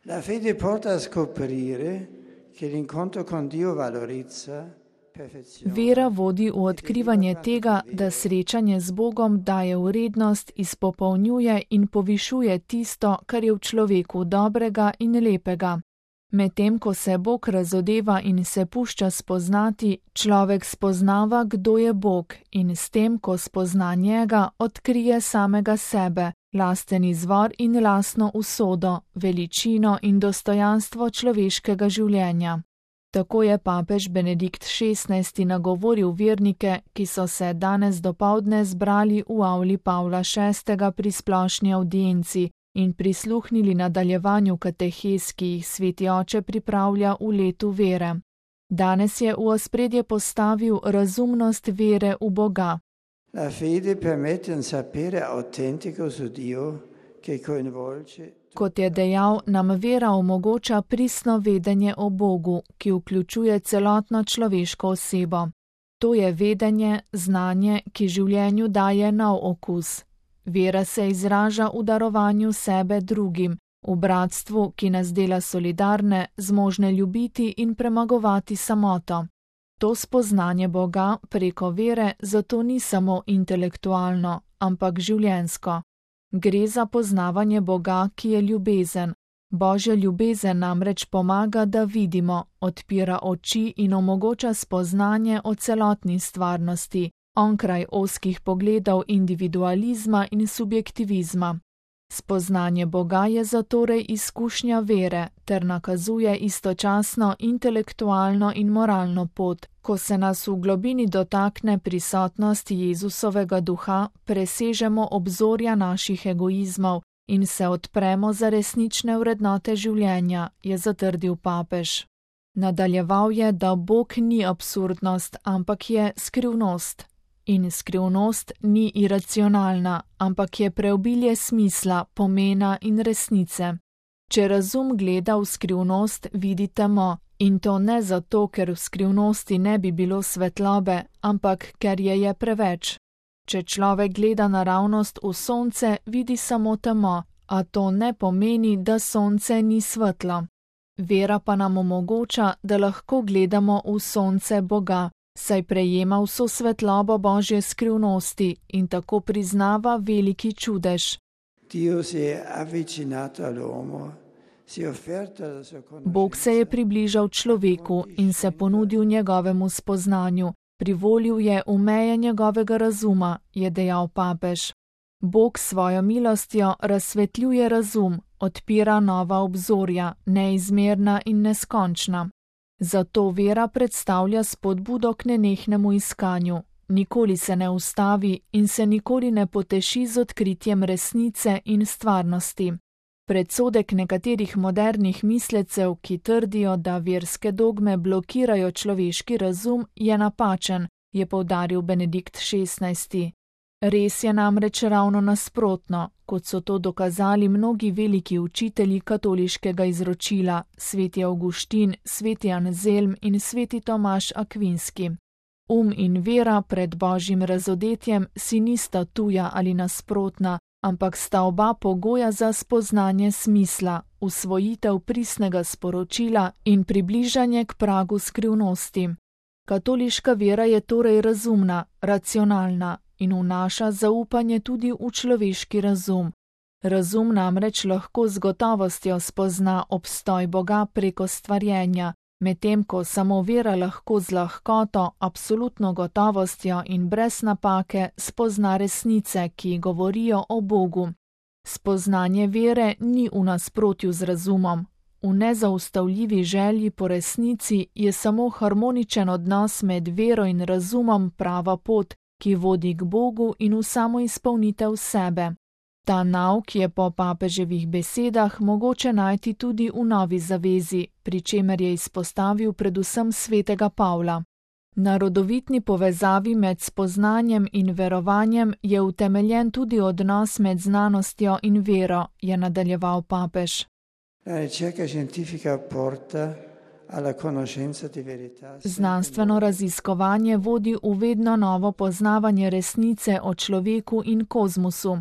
La fede porta a scoprire che l'incontro con Dio valorizza perfezione. Vera vodi v odkrivanje tega, da srečanje z Bogom daje vrednost, izpopolnjuje in povišuje tisto, kar je v človeku dobrega in lepega. Medtem ko se Bog razodeva in se pušča spoznati, človek spoznava, kdo je Bog, in s tem, ko spozna njega, odkrije samega sebe, lasten izvor in lastno usodo, veličino in dostojanstvo človeškega življenja. Tako je papež Benedikt XVI nagovoril vernike, ki so se danes dopoldne zbrali v avli Pavla VI pri splošni avdienci in prisluhnili nadaljevanju katehez, ki jih sveti oče pripravlja v letu vere. Danes je v ospredje postavil razumnost vere v Boga. La fede permette un sapere autentico su Dio che coinvolge. Kot je dejal, nam vera omogoča pristno vedenje o Bogu, ki vključuje celotno človeško osebo. To je vedenje, znanje, ki življenju daje nov okus. Vera se izraža v darovanju sebe drugim, v bratstvu, ki nas dela solidarne, zmožne ljubiti in premagovati samoto. To spoznanje Boga preko vere zato ni samo intelektualno, ampak življenjsko. Gre za poznavanje Boga, ki je ljubezen. Božja ljubezen namreč pomaga, da vidimo, odpira oči in omogoča spoznanje o celotni stvarnosti, onkraj ozkih pogledov individualizma in subjektivizma. Spoznanje Boga je zatorej izkušnja vere ter nakazuje istočasno intelektualno in moralno pot, ko se nas v globini dotakne prisotnost Jezusovega duha, presežemo obzorja naših egoizmov in se odpremo za resnične vrednote življenja, je zatrdil papež. Nadaljeval je, da Bog ni absurdnost, ampak je skrivnost. In skrivnost ni iracionalna, ampak je preobilje smisla, pomena in resnice. Če razum gleda v skrivnost, vidi temo, in to ne zato, ker v skrivnosti ne bi bilo svetlobe, ampak ker je preveč. Če človek gleda naravnost v sonce, vidi samo temo, a to ne pomeni, da sonce ni svetlo. Vera pa nam omogoča, da lahko gledamo v sonce Boga, saj prejema vso svetlobo Božje skrivnosti in tako priznava veliki čudež. Bog se je približal človeku in se ponudil njegovemu spoznanju, privolil je v meje njegovega razuma, je dejal papež. Bog svojo milostjo razsvetljuje razum, odpira nova obzorja, neizmerna in neskončna. Zato vera predstavlja spodbudo k nenehnemu iskanju, nikoli se ne ustavi in se nikoli ne poteši z odkritjem resnice in stvarnosti. Predsodek nekaterih modernih mislecev, ki trdijo, da verske dogme blokirajo človeški razum, je napačen, je poudaril Benedikt XVI. Res je namreč ravno nasprotno, kot so to dokazali mnogi veliki učitelji katoliškega izročila, sveti Avguštin, sveti Anzelm in sveti Tomaž Akvinski. In vera pred Božjim razodetjem si nista tuja ali nasprotna, ampak sta oba pogoja za spoznanje smisla, usvojitev pristnega sporočila in približanje k pragu skrivnosti. Katoliška vera je torej razumna, racionalna in vnaša zaupanje tudi v človeški razum. Razum namreč lahko z gotovostjo spozna obstoj Boga preko stvarjenja, medtem ko samo vera lahko z lahkoto, absolutno gotovostjo in brez napake spozna resnice, ki govorijo o Bogu. Spoznanje vere ni v nasprotju z razumom. V nezaustavljivi želji po resnici je samo harmoničen odnos med vero in razumom prava pot, ki vodi k Bogu in v samo izpolnitev sebe. Ta nauk je po papeževih besedah mogoče najti tudi v Novi zavezi, pri čemer je izpostavil predvsem svetega Pavla. Na rodovitni povezavi med spoznanjem in verovanjem je utemeljen tudi odnos med znanostjo in vero, je nadaljeval papež. Znanstveno raziskovanje vodi v vedno novo poznavanje resnice o človeku in kozmosu.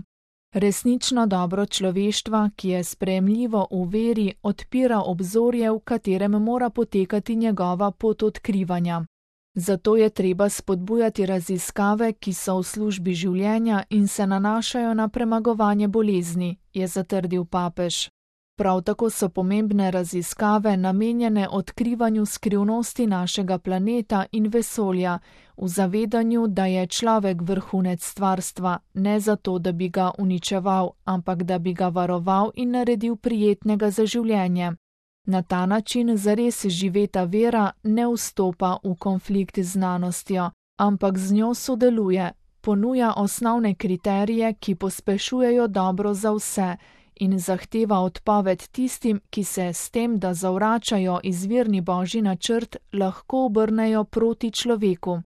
Resnično dobro človeštva, ki je sprejemljivo v veri, odpira obzorje, v katerem mora potekati njegova pot odkrivanja. Zato je treba spodbujati raziskave, ki so v službi življenja in se nanašajo na premagovanje bolezni, je zatrdil papež. Prav tako so pomembne raziskave namenjene odkrivanju skrivnosti našega planeta in vesolja, v zavedanju, da je človek vrhunec stvarstva, ne zato, da bi ga uničeval, ampak da bi ga varoval in naredil prijetnega za življenje. Na ta način zares živeta vera ne vstopa v konflikt z znanostjo, ampak z njo sodeluje, ponuja osnovne kriterije, ki pospešujejo dobro za vse, in zahteva odpoved tistim, ki se s tem, da zavračajo izvirni božji načrt, lahko obrnejo proti človeku.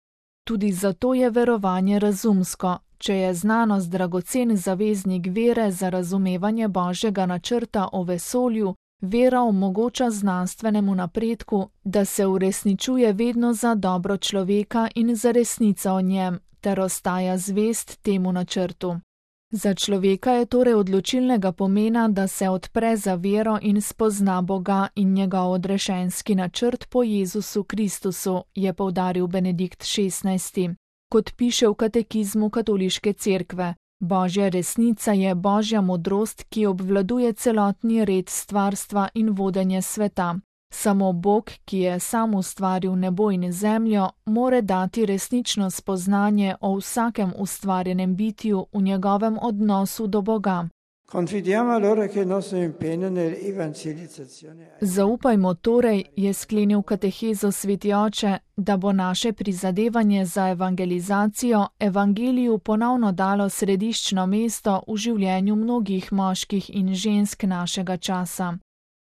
Tudi zato je verovanje razumsko. Če je znanost dragocen zaveznik vere za razumevanje božjega načrta o vesolju, vera omogoča znanstvenemu napredku, da se uresničuje vedno za dobro človeka in za resnico o njem, ter ostaja zvest temu načrtu. Za človeka je torej odločilnega pomena, da se odpre za vero in spozna Boga in njegov odrešenski načrt po Jezusu Kristusu, je poudaril Benedikt XVI. Kot piše v katekizmu katoliške cerkve, Božja resnica je Božja modrost, ki obvladuje celotni red stvarstva in vodenje sveta. Samo Bog, ki je sam ustvaril nebo in zemljo, more dati resnično spoznanje o vsakem ustvarjenem bitju v njegovem odnosu do Boga. Zaupajmo torej, je sklenil katehezo sveti oče, da bo naše prizadevanje za evangelizacijo evangeliju ponovno dalo središčno mesto v življenju mnogih moških in žensk našega časa.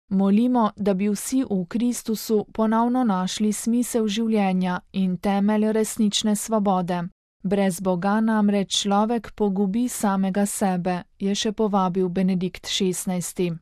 Molimo, da bi vsi v Kristusu ponovno našli smisel življenja in temelj resnične svobode. Brez Boga namreč človek pogubi samega sebe, je še povabil Benedikt XVI.